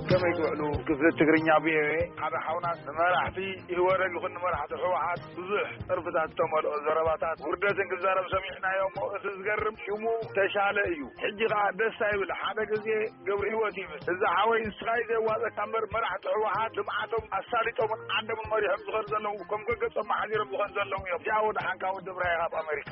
ከመይ ትውዕሉ? ክፍሊ ትግርኛ ቪኦኤ ሓደ ሓውና ንመራሕቲ ኢህወደግ ይኹን ንመራሕቲ ህወሓት ብዙሕ ጥርፍታት ዝተመልኦ ዘረባታት ውርደትን ክዛረብ ሰሚዕናዮ እሞ እቲ ዝገርም ሽሙ ተሻለ እዩ። ሕጂ ከዓ ደስ ኣይብል። ሓደ ግዜ ገብረ ህይወት ይብል። እዚ ሓወይ ንስኻ እዩ ዘዋፀካ እምበር መራሕቲ ህወሓት ልምዓቶም ኣሳሊጦምን ዓዶምን መሪሖም ዝኸዱ ዘለዉ ከም ገገጾም መሓዚሮም ዝኸዱ ዘለዉ እዮም። እዚኣ ወደ ሓንካ ወዲ ብራይ ካብ ኣሜሪካ።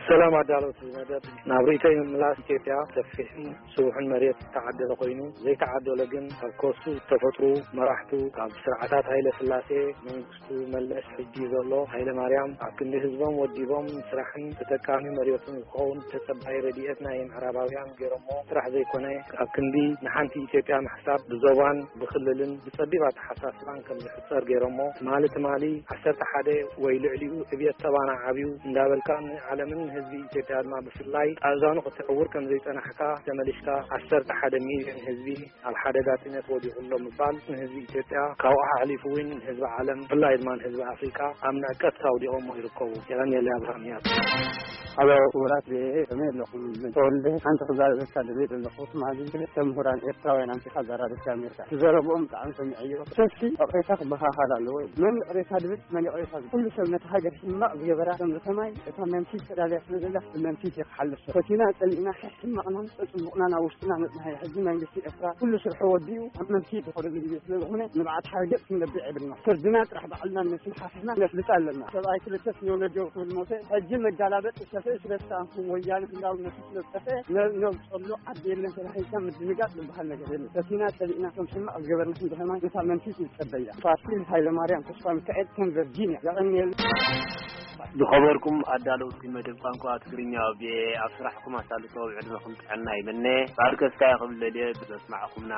ሰላም ኣዳለውቲ መደብ። ናብ ርእይቶይ ምምላስ ኢትዮጵያ ሰፊሕን ስቡሕን መሬት ዝተዓደለ ኮይኑ ዘይተዓደለ ግን ካብ ከሱ ዝተፈጥሩ መራሕቱ ካብ ስርዓታት ሃይለ ስላሴ መንግስቱ መለስ ሕጂ ዘሎ ሃይለ ማርያም ኣብ ክንዲ ህዝቦም ወዲቦም ስራሕን ተጠቃሚ መሬቱን ክኸውን ተጸባይ ረድኤት ናይ ምዕራባውያን ገይሮሞ ስራሕ ዘይኮነ ኣብ ክንዲ ንሓንቲ ኢትዮጵያ ምሕሳብ ብዞባን ብክልልን ብጸቢብ ኣተሓሳስባን ከም ዝሕጸር ገይሮሞ ትማሊ ትማሊ ዓሰርተ ሓደ ወይ ልዕሊኡ ዕብየት ጸባና ዓብዩ እንዳበልካ ንዓለምን ህዝቢ ኢትዮጵያ ድማ ብፍላይ ኣእዛኑ ክትዕውር ከም ዘይጸናሕካ ተመሊስካ ዓሰርተ ሓደ ሚልዮን ህዝቢ ኣብ ሓደጋ ጥሜት ወዲቑ ኣሎ ምባል ንህዝቢ ኢትዮጵያ ካብኡ ሓሊፉ እውን ንህዝቢ ዓለም ብፍላይ ድማ ንህዝቢ ኣፍሪቃ ኣብ ንዕቀት ኣውዲቖሞ ይርከቡ። የቐንየለይ ኣብርሃም ህያብ። ኣብ ክቡራት ቪኦኤ ከመይ ኣለኹም? ተወልደ ሓንቲ ክዛረበካ ደልየ ዘለኹ ትማሊ ክልተ ምሁራን ኤርትራውያን ኣምጺኻ ኣዘራሪብካ ነርካ። እቲ ዘረብኦም ብጣዕሚ ሰሚዐዮ። ሰልፊ ይቕሬታ ክበሃሃል ኣለዎ። መን ይቕሬታ ድብል መን ይቕሬታ ዝብል? ኩሉ ሰብ ነቲ ሃገር ሕማቕ ዝገበራ ከም ዝኸማይ እታ መንፊት ተዳልያ ስለ ዘላ ብመንፊት እየ ክሓልፍ። ፈቲና ጸሊእና ሕማቕናን ጽቡቕናን ኣብ ውሽጥና ነጽንሓዮ። ሕጂ መንግስቲ ኤርትራ ኩሉ ስርሑ ወዲኡ ኣብ መንፊት ዝኸደሉ ግዜ ስለ ዝኾነ ንብዓት ሓርገጽ ክንነብዕ የብልና። ፍርድና ጥራሕ ባዕልና ነስሓሕና ነፍልጥ ኣለና። ሰብኣይ ክልተ ስንዮ ነደው ክብል ሞተ። ሕጂ መጋላበጥ ዝሰፍእ ስለ ዝተኣንኩ ወያነ ህላውነቱ ስለ ዝጠፍአ ነ-፣ ነውጸሉ ዓዲ የለን ተባሂልካ ምድንጋጽ ዝበሃል ነገር የለን። ፈቲና ጸሊእና ከም ሕማቕ ዝገበርና ክንዲ ከማን ነታ መንፊት ንጸበያ። ፋሲል ሃይለማርያም ተስፋ ሚካኤል ከም ቨርጂንያ። የቐንየልና። ዝኸበርኩም ኣዳለውቲ መደብ ቋንቋ ትግርኛ ብ ኣብ ስራሕኩም ኣሳልጦ ዕድመኹም ጥዕና ይምነ። ባርከስካ ክብል ደልየ ብዘስማዕኹምና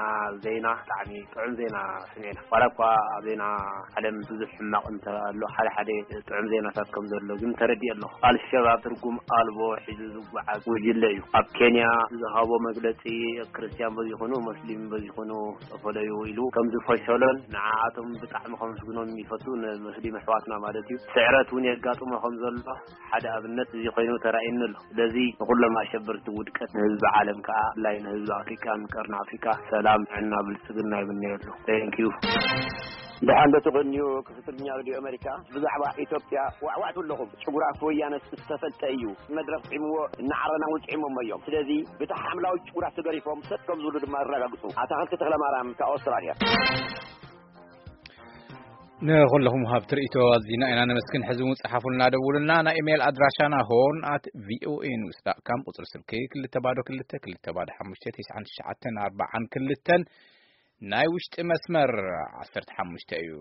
ዜና ብጣዕሚ ጥዑም ዜና ስሚዕና። ዋላ እኳ ኣብ ዜና ዓለም ብዙሕ ሕማቕ እንተ ኣሎ ሓደ ሓደ ጥዑም ዜናታት ከም ዘሎ ግን ተረዲእ ኣለኹ። ኣልሸባብ ትርጉም ኣልቦ ሒዙ ዝጓዓዝ ጉጅለ እዩ። ኣብ ኬንያ ዝሃቦ መግለጺ ክርስትያን በዚኹኑ ሙስሊም በዚኹኑ ተፈለዩ ኢሉ ከም ዝፈሸሎን ንዓኣቶም ብጣዕሚ ከመስግኖም ይፈቱ ንሙስሊም ኣሕዋትና ማለት እዩ። ስዕረት እውን የጋጥሞ ከም ዘሎ ሓደ ኣብነት እዚ ኮይኑ ተራእየኒ ኣሎ። ስለዚ ንኩሎም ኣሸበርቲ ውድቀት ንህዝቢ ዓለም ከዓ ብፍላይ ንህዝቢ ኣፍሪቃን ቀርኒ ኣፍሪቃ ሰላም፣ ጥዕና፣ ብልጽግና ይምነየሉ። Thank you። ደሓን ዶ ትቕንዩ? ክፍትርኛ ሬድዮ ኣሜሪካ ብዛዕባ ኢትዮጵያ ዋዕዋዕቱ ኣለኹም። ጭጉራት ወያነ ዝተፈልጠ እዩ። መድረኽ ጥዒምዎ እናዓረና እውን ጥዒሞሞ እዮም። ስለዚ ብቲ ሓምላዊ ጭጉራት ተገሪፎም ሰጥ ከም ዝብሉ ድማ ኣረጋግጹ። ኣታኽልቲ ተኽለማርያም ካብ ኣውስትራልያ። ንኹለኹም ሃብቲ ርእይቶ ኣዚና ኢና ነመስግን። ሕዚ እውን ጸሓፉልና፣ ደውሉልና። ናይ ኢሜይል ኣድራሻና ሆርን ኣት ቪኦኤ ኒውስ ዳት ካም፣ ቁጽሪ ስልኪ ክልተ ባዶ ክልተ ክልተ ባዶ ሓሙሽተ ትሽዓን ትሽዓተን ኣርባዓን ክልተን፣ ናይ ውሽጢ መስመር ዓሰርተ ሓሙሽተ እዩ።